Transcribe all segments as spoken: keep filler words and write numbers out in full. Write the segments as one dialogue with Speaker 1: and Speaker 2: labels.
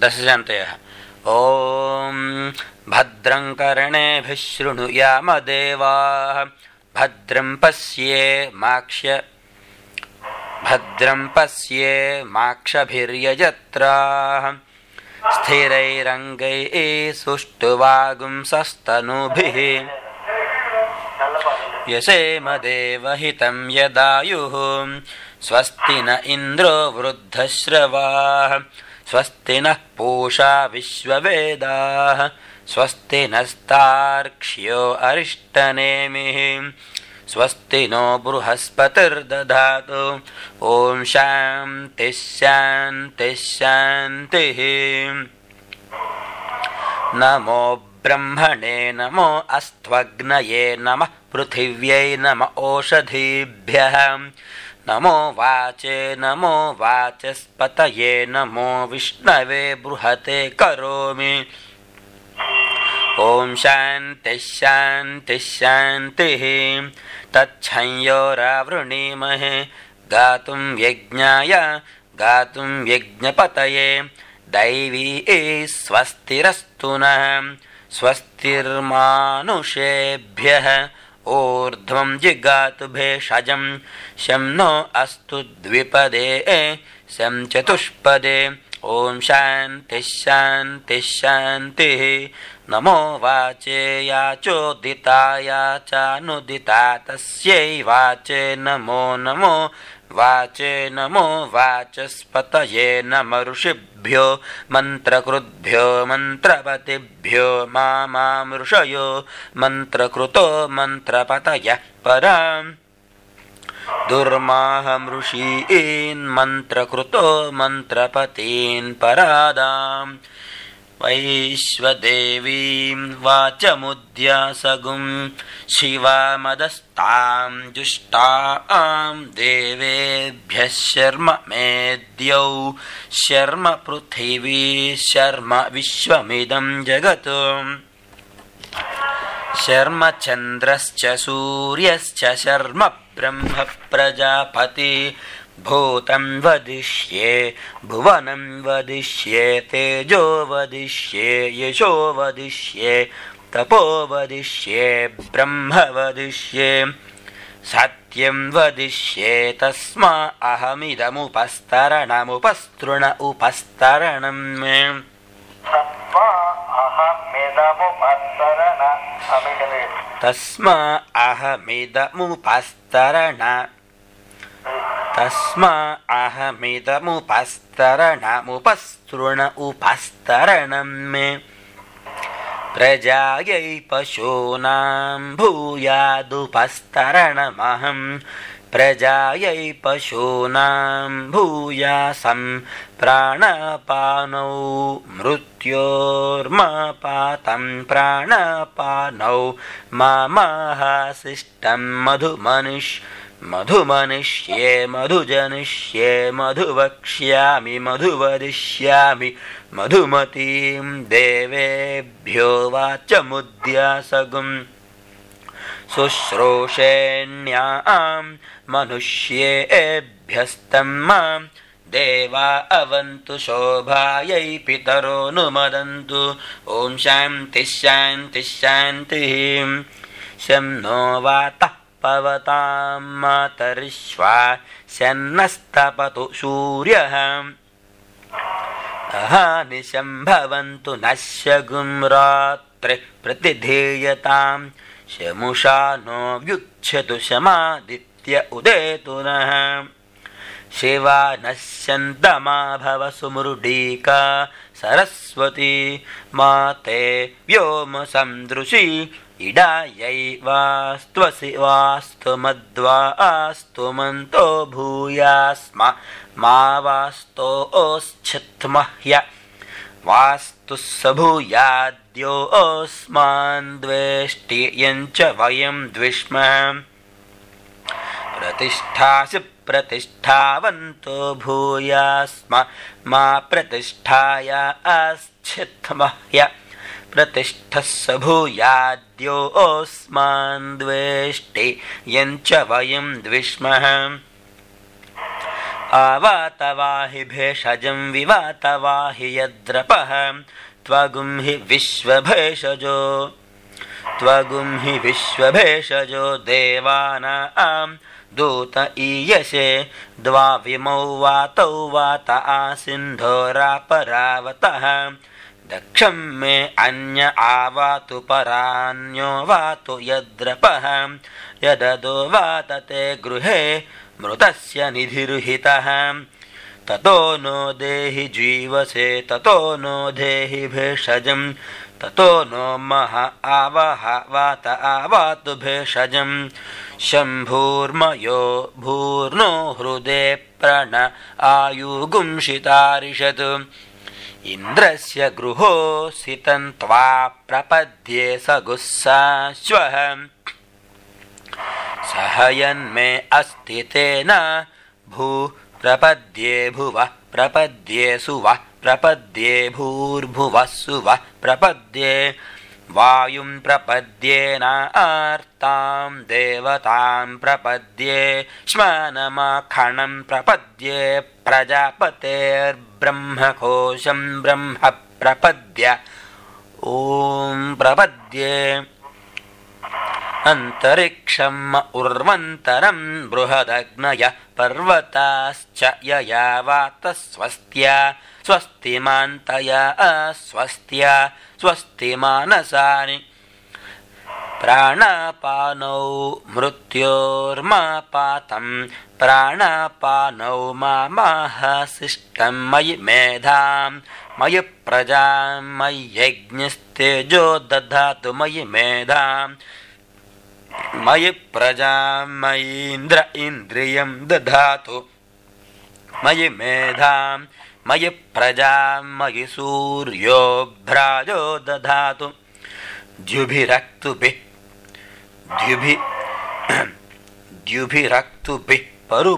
Speaker 1: दशशान्तयः। ॐ भद्रं कर्णेभिः शृणुयाम देवाः भद्रं पश्येमाक्ष्य भद्रं पश्येमाक्षभिर्यजत्राः स्थिरैरङ्गैः सुष्ठुवागुंसस्तनूभिः यसेम देवहितं यदायुः स्वस्ति न इन्द्रो वृद्धश्रवाः स्वस्ति नः पूषा विश्ववेदाः स्वस्ति नस्तार्क्ष्यो अरिष्टनेमिः स्वस्ति नो बृहस्पतिर्दधातु। ॐ शान्तिः शान्तिः शान्तिः। नमो ब्रह्मणे नमो अस्त्वग्नये नमः पृथिव्यै नमः ओषधीभ्यः नमो वाचे नमो वाचस्पतये नमो विष्णवे बृहते करोमि। ॐ शान्तिः शान्तिः शान्तिः। तच्छंयोरावृणीमहे गातुं यज्ञाय गातुं यज्ञपतये दैवी स्वस्तिरस्तु नः स्वस्तिर्मानुषेभ्यः ऊर्ध्वं जिगातु भेषजं शं नो अस्तु द्विपदे शं चतुष्पदे। ॐ शान्तिः शान्तिः शान्तिः। नमो वाचे याचोदिताय चानुदिता तस्यै वाचे नमो नमो वाचे नमो वाचस्पतये नमः ऋषिभ्यो मन्त्रकृद्भ्यो मन्त्रपतिभ्यो मामां ऋषयो मन्त्रकृतो मन्त्रपतयः पराम् दुर्माहं ऋषीन् मन्त्रकृतो मन्त्रपतीन् परादाम् वैश्वदेवीं वाचमुद्यासगुं शिवामदस्तां जुष्टां देवेभ्यः शर्म मेद्यौ शर्म पृथिवी शर्म विश्वमिदं जगत् शर्म चन्द्रश्च सूर्यश्च शर्म ब्रह्म प्रजापति भूतं वदिष्ये भुवनं वदिष्ये तेजो वदिष्ये यशो वदिष्ये तपो वदिष्ये ब्रह्म वदिष्ये सत्यं वदिष्ये तस्मा अहमिदमुपस्तरणमुपस्तृण उपस्तरणं मे तस्मा अहमिदमुपस्तरण तस्मा अहमिदमुपस्तरणमुपस्तृण उपस्तरणं मे प्रजायै पशूनां भूयादुपस्तरणमहं प्रजायै पशूनां भूयासं प्राणपानौ मृत्योर्मापातं प्राणपानौ मामाहासिष्टं मधुमनिष् मधुमनिष्ये मधुजनिष्ये मधुवक्ष्यामि मधुवदिष्यामि मधुमतीं देवेभ्यो वाचमुद्यासगुं शुश्रूषेण्यां मनुष्येभ्यस्तं मां देवा अवन्तु शोभायै पितरो नुमदन्तु। ॐ शान्तिः शान्तिः शान्तिः। शं नो वातः पवतां मातरिश्वा शन्नस्तपतु सूर्यः अहानिशं भवन्तु नश्यगुं रात्रिः प्रतिधीयतां शमुषा नो व्युच्छतु शमादित्य उदेतु नः शिवा नश्यन्तमा भव सुमृडीका सरस्वती माते व्योम सन्दृशी इडायै वास्त्वसि वास्तु मद्वा आस्तु मन्तो भूयास्म मा वास्तो ओश्चित्मह्य वास्तु स भूयाद्यो ओस्मान् द्वेष्टि यञ्च वयं द्विष्मः प्रतिष्ठासि प्रतिष्ठावन्तो भूयास्म मा प्रतिष्ठाय आश्चित्मह्य प्रतिष्ठस्स भूयाद्यो ओस्मान् द्वेष्टि यञ्च वयं द्विष्मः आवातवाहि भेषजं विवातवाहि यद्रपः त्वगुं हि विश्वभेषजो त्वगुं हि विश्वभेषजो देवानां दूत ईयसे द्वाविमौ वातौ वात आसिन्धोरापरावतः दक्षं मे अन्य आवातु परान्यो वातु यद्रपः यददो वातते गृहे मृतस्य निधिरुहितः ततो नो देहि जीवसे ततो नो देहि भेषजं ततो नो मह आवह वात आवातु भेषजं शम्भूर्मयो भूर्नो हृदे प्रण आयुगुंशितारिषत् इन्द्रस्य गृहोऽसितं त्वा प्रपद्ये सगुस्साश्वः सहयन्मे अस्ति तेन भू प्रपद्ये भुवः प्रपद्ये सुवः प्रपद्ये भूर्भुवः सुवः प्रपद्ये वायुं प्रपद्येनार्तां देवतां प्रपद्ये श्मनमाखणं प्रपद्ये प्रजापतेर्ब्रह्मकोशं ब्रह्म प्रपद्य ॐ प्रपद्ये अन्तरिक्षम् उर्वन्तरं बृहदग्नयः पर्वताश्च यया वातस्वस्त्या स्वस्तिमान्तया अस्वस्त्या स्वस्ति मानसानि प्राणापानौ मृत्योर्मापातं प्राणापानौ मामाहसिष्टं मयि मेधां मयि प्रजां मयि यज्ञस्तेजो दधातु मयि मेधां मयि प्रजां मयीन्द्र इन्द्रियं दधातु मयि मेधां मयि प्रजां मयि सूर्यो भ्राजो दधातु द्युभिरक्तुभिः द्युभि द्युभिरक्तुभिः परु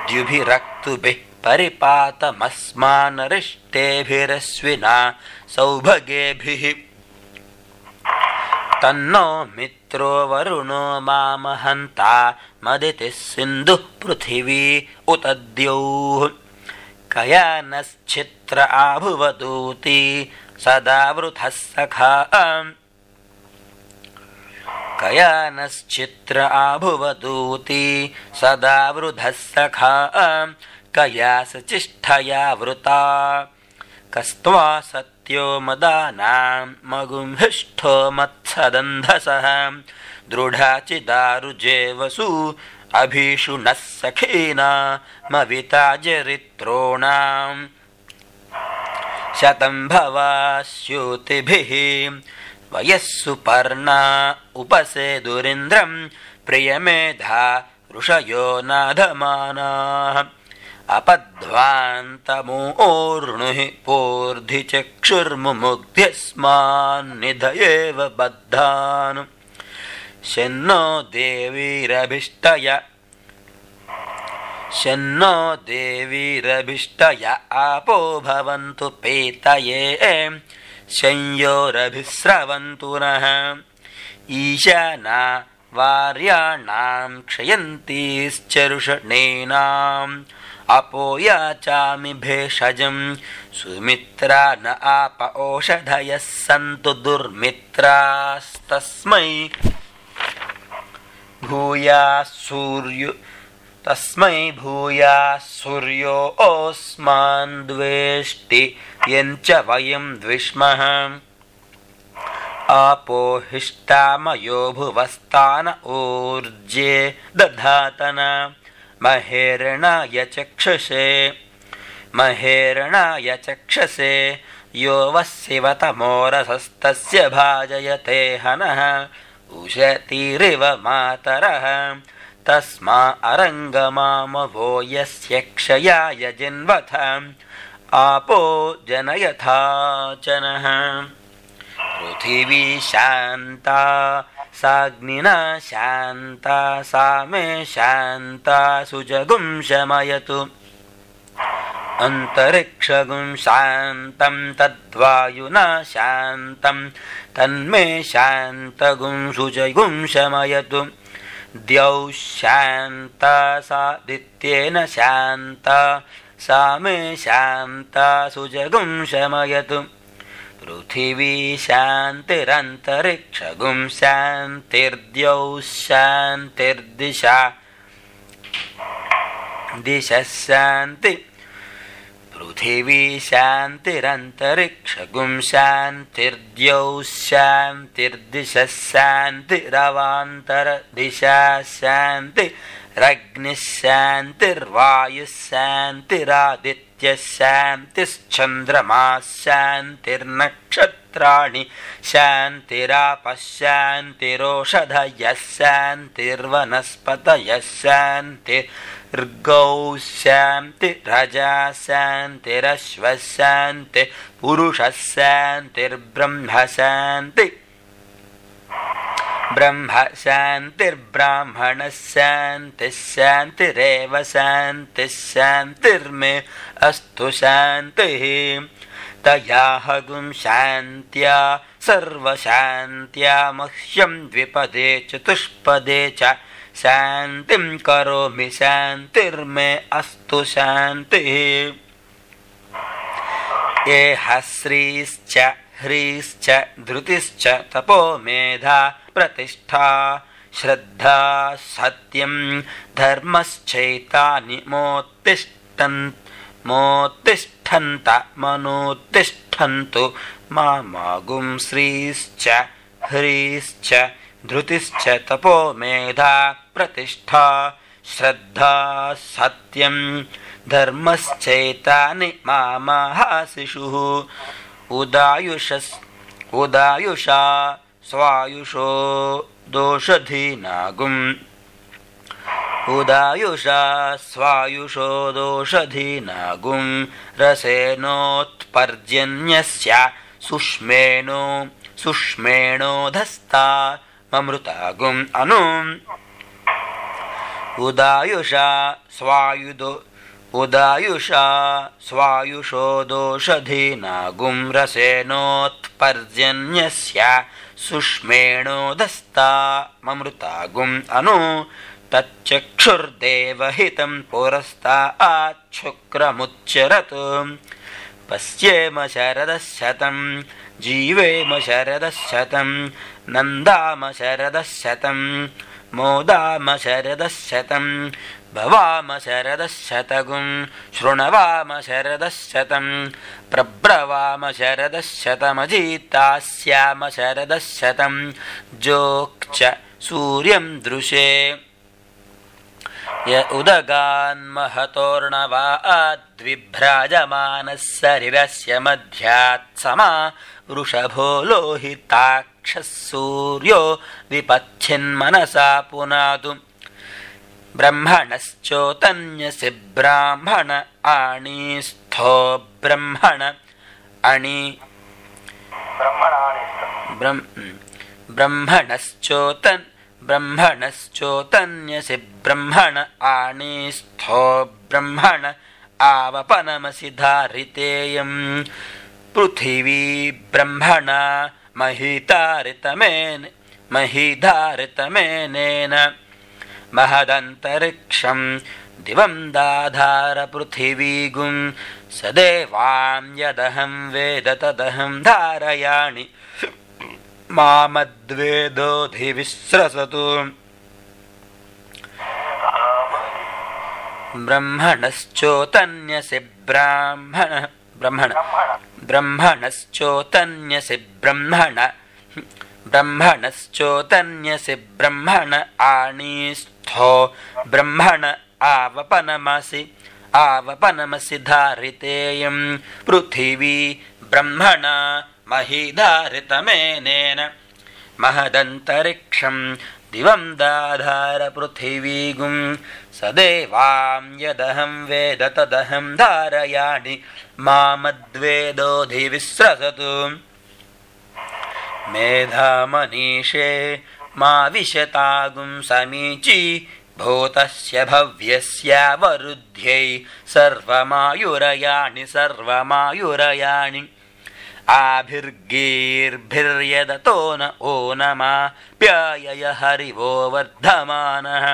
Speaker 1: द्युभिरक्तुभिः परिपातमस्मानरिष्टेभिरश्विना सौभगेभिः तन्नो मित्रो वरुणो मामहन्ता मदितिः सिन्धुः पृथिवी उत द्यौः कयानश्चित्र आभुवदूती सदा वृथः सखा कयानश्चित्र आभुवदूती सदा वृथः सखा कयासचिष्ठया वृता कस्त्वा सत्यो मदानां मगुंहिष्ठो मत्सदन्धसः दृढाचिदारुजेवसु अभीषुणः सखीना मविता जरित्रोणां शतं भवास्यूतिभिः वयस्सु पर्णा उपसेदुरिन्द्रं प्रियमेधा ऋषयो नाधमानाः अपध्वान्तमूर्णुः पूर्धि चक्षुर्मुमुग्ध्यस्मान्निधयेव बद्धान् शन्नो देवीरभिष्टय शन्नो देवीरभिष्टय आपो भवन्तु पेतये शंयोरभिस्रवन्तु नः ईशाना वार्याणां क्षयन्तीश्चरुषणीनाम् अपो याचामि भेषजं सुमित्रा न आप ओषधयः सन्तु दुर्मित्रास्तस्मै भूयाः सूर्यो तस्मै भूयाः सूर्यो ओस्मान् द्वेष्टि यञ्च वयं द्विष्मः आपो हिष्टामयो भुवस्तान ऊर्जे दधातन महेरणाय चक्षुषे महेरणाय चक्षसे यो वस्यवतमोरसस्तस्य भाजयते हनः उशतीरिव मातरः तस्मा अरङ्गमामवो यस्य क्षयाय जिन्वथ आपो जनयथाचनः पृथिवी शान्ता साग्निना शान्ता सा मे शान्ता सुजगुं शमयतु अन्तरिक्षगुं शान्तं तद्वायुना शान्तं तन्मे शान्तगुं सुजगुं शमयतु द्यौः शान्ता सादित्येन शान्ता सा मे शान्ता सुजगुं शमयतु पृथिवी शान्तिरन्तरिक्षगुं शान्तिर्द्यौः शान्तिर्दिशा दिशः शान्ति पृथिवी शान्तिरन्तरिक्षगुं शान्तिर्द्यौः शान्तिर्दिशः शान्तिरवान्तरदिशा शान्तिरग्निः शान्तिर्वायुः शान्तिरादित्यः शान्तिश्चन्द्रमाः शान्तिर्नक्षत्राणि शान्तिरापः शान्तिरोषधयः शान्तिर्वनस्पतयः शान्तिर्गौः शान्तिरजा शान्तिरश्वः शान्तिः पुरुषः शान्तिर्ब्रह्म शान्ति ब्रह्म शान्तिर्ब्राह्मणः शान्तिः शान्तिरेव शान्तिः शान्तिर्मे अस्तु शान्तिः तया हगुं शान्त्या सर्वशान्त्या मह्यं द्विपदे चतुष्पदे च शान्तिं करोमि शान्तिर्मे अस्तु शान्तिः ये हस्रीश्च ह्रीश्च धृतिश्च तपो मेधा प्रतिष्ठा श्रद्धा सत्यं धर्मश्चैतानि मोत्तिष्ठन् मोत्तिष्ठन्त मनोत्तिष्ठन्तु मामागुं श्रीश्च ह्रीश्च धृतिश्च तपो मेधा प्रतिष्ठा श्रद्धा सत्यं धर्मश्चैतानि मामाहासिषुः उदायुषस् उदायुषा स्वायुषो दोषधीनागुम् उदायुषा स्वायुषो दोषधीनागुं रसेनोत्पर्जन्यस्य सुष्मेणो सुष्मेणोधस्ता ममृतागुम् अनु उदायुषा स्वायुदो उदायुषा स्वायुषो दोषधीनागुं रसेनोत्पर्जन्यस्य सुष्मेणोधस्ता ममृतागुम् अनु तच्चक्षुर्देवहितं पुरस्ताच्छुक्रमुच्चरत् पश्येम शरदशतं जीवेम शरदशतं नन्दाम शरदशतं मोदाम शरदशतं भवाम शरदशतगुं शृणवाम शरदशतं प्रब्रवाम शरदशतमजीतास्याम शरदशतं जोक्च सूर्यं दृशे य उदगान्महतोर्णवाद्विभ्राजमानः शरीरस्य मध्यात्समा वृषभो लोहिताक्षः सूर्यो विपच्छिन्मनसा पुनातु ब्रह्मणश्चोतन्यसि ब्राह्मण आणीस्थो ब्रह्मण अणि ब्रह्मणश्चोतन् ब्रह्मणश्चोतन्यसि ब्रह्मण आणीस्थो ब्रह्मण आवपनमसि धारितेयं पृथिवी ब्रह्मणा महीधारितमेन महीधारितमेनेन महदन्तरिक्षं दिवं दाधार पृथिवीगुं सदेवां यदहं वेद तदहं धारयाणि मामद्वेदोऽधिविस्रसतु ब्रह्मणश्चोतन्यसि ब्राह्मण ब्रह्मण ब्रह्मणश्चोतन्यसि ब्रह्मण ब्रह्मणश्चोतन्यसि ब्रह्मण आणीस्थो ब्रह्मण आवपनमसि आवपनमसि धारितेयं पृथिवी ब्रह्मणा महीधारितमेनेन महदन्तरिक्षं दिवं दाधार पृथिवीगुं सदेवां यदहं वेद तदहं धारयाणि मामद्वेदोऽधिविस्रसतु मेधामनीषे मा विशतागुं समीची भूतस्य भव्यस्यावरुध्यै सर्वमायुरयाणि सर्वमायुरयाणि आभिर्गीर्भिर्यदतो न ओनमाप्यायय हरिवो वर्धमानः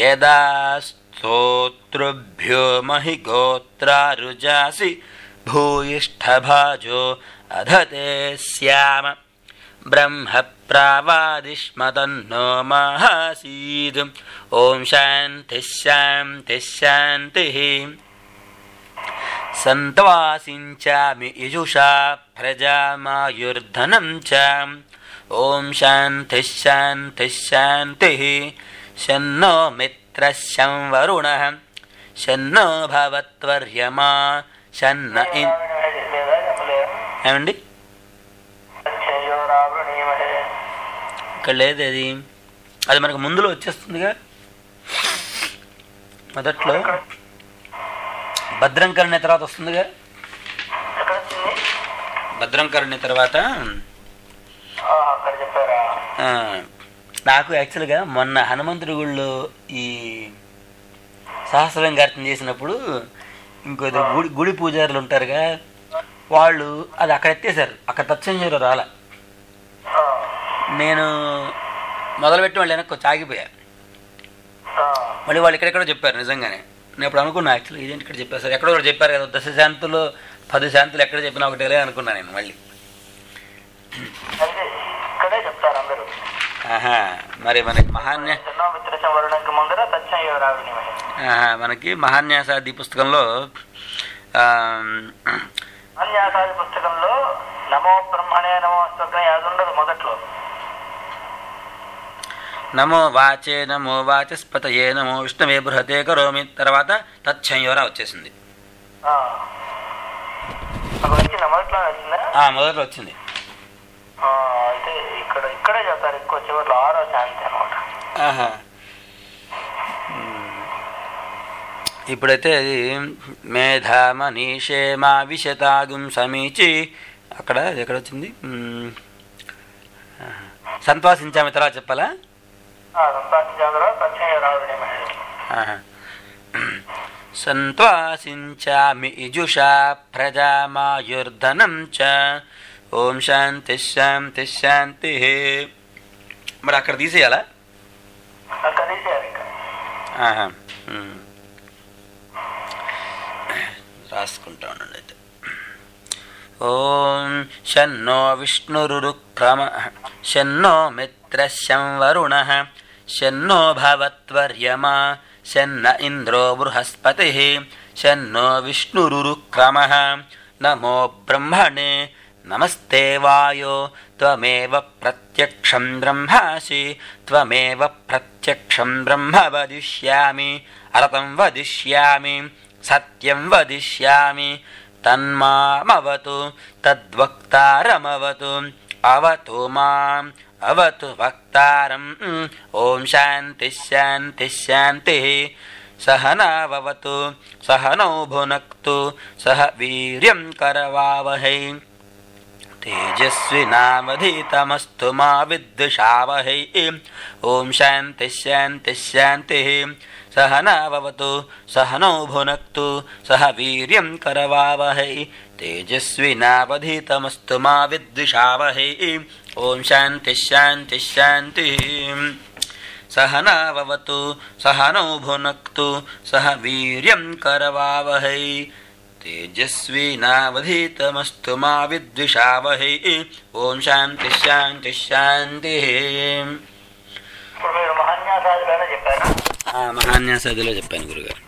Speaker 1: यदा स्तोतृभ्यो महि गोत्रारुजासि भूयिष्ठभाजो अधते स्याम ब्रह्म प्रावादिष्मतन्नो माहासीद् ॐ शान्तिः शान्तिः शान्तिः सन्त्वासिञ्चामि यजुषा प्रजामायुर्धनं च ॐ शान्तिः शान्तिः शान्तिः शन्नो मित्रः शं वरुणः शन्नो भवत्वर्यमा शन्न ఏమండి ఇక్కడ లేదు అది అది మనకు ముందులో వచ్చేస్తుందిగా మొదట్లో భద్రం కరుణ్య తర్వాత వస్తుందిగా భద్రం కరుణ్య తర్వాత నాకు యాక్చువల్గా మొన్న హనుమంతుడి గుళ్ళో ఈ సహస్రలింగార్చన చేసినప్పుడు ఇంకో గుడి గుడి పూజారులు ఉంటారుగా వాళ్ళు అది అక్కడ ఎత్తేసారు, అక్కడ తత్సంజీలో రాలే. నేను మొదలుపెట్టి వాళ్ళు వెనక్కి వచ్చి ఆగిపోయా. మళ్ళీ వాళ్ళు ఇక్కడెక్కడో చెప్పారు. నిజంగానే నేను ఇప్పుడు అనుకున్నా యాక్చువల్లీ ఇదేంటి ఇక్కడ చెప్పారు సార్, ఎక్కడో ఒకటి చెప్పారు కదా దశ శాంతులు పది శాంతులు ఎక్కడ చెప్పినా ఒకటే అనుకున్నా నేను. మళ్ళీ మరి మనకి మహాన్య మనకి మహాన్యాసాది పుస్తకంలో
Speaker 2: పుస్తకంలో నమో బ్రహ్మణే నమో ఉండదు. మొదట్లో
Speaker 1: నమో వాచే నమో వాచస్పతయే నమో విష్ణవే బృహతే కరోమి తర్వాత తచ్చంయోరా వచ్చేసింది. మొదట్లో వచ్చింది.
Speaker 2: అయితే ఇక్కడ ఇక్కడే చెప్తారు ఎక్కువ చివరిలో ఆరో శాంతి అనమాట.
Speaker 1: ఇప్పుడైతే అది మేధా మనీషే మా విశతాగుం సమీచి అక్కడ ఎక్కడ వచ్చింది సంతోషించామి తర్వాత చెప్పాలా. సంతోషించామి ఇజుషా ప్రజామాయుర్ధనం చ ఓం శాంతి శాంతి శాంతి. మరి అక్కడ తీసేయాలా? రాసుకుంటా ఉండండి అయితే. ఓం శన్నో విష్ణురుక్రమ శన్నో మిత్ర శం వరుణ శన్నో భవత్వర్యమా శన్న ఇంద్రో బృహస్పతి శన్నో విష్ణురుక్రమ నమో బ్రహ్మణే నమస్తే వాయో త్వమేవ ప్రత్యక్షం బ్రహ్మాసి త్వమేవ ప్రత్యక్షం బ్రహ్మ వదిష్యామి అరతం వదిష్యామి సత్యం వదిష్యామి తన్మామవతు తద్వక్తారమవతు అవతు మాం అవతు వక్తారం. ఓం శాంతి శాంతి శాంతి. సహనావవతు సహనౌ భునక్తు సహ వీర్యం కరవావహై తేజస్వినావధీతమస్తు మా విద్విషావహై. ఓం శాంతి శాంతి శాంతి. సహనావవతు సహనౌ భునక్తు సహ వీర్యం కరవావహై తేజస్వినావధీతమస్తు మా విద్విషావహై. ఓం శాంతి శాంతి శాంతి. సహనావవతు సహనౌ భునక్తు సహ వీర్యం కరవావహై తేజస్వినావధీతమస్తు మా విద్విషావహై. ఓం శాంతి శాంతి శాంతి.
Speaker 2: మహాన్యాసాదిలో చెప్పాను
Speaker 1: మహాన్యాసాదిలో చెప్పాను గురుగారు.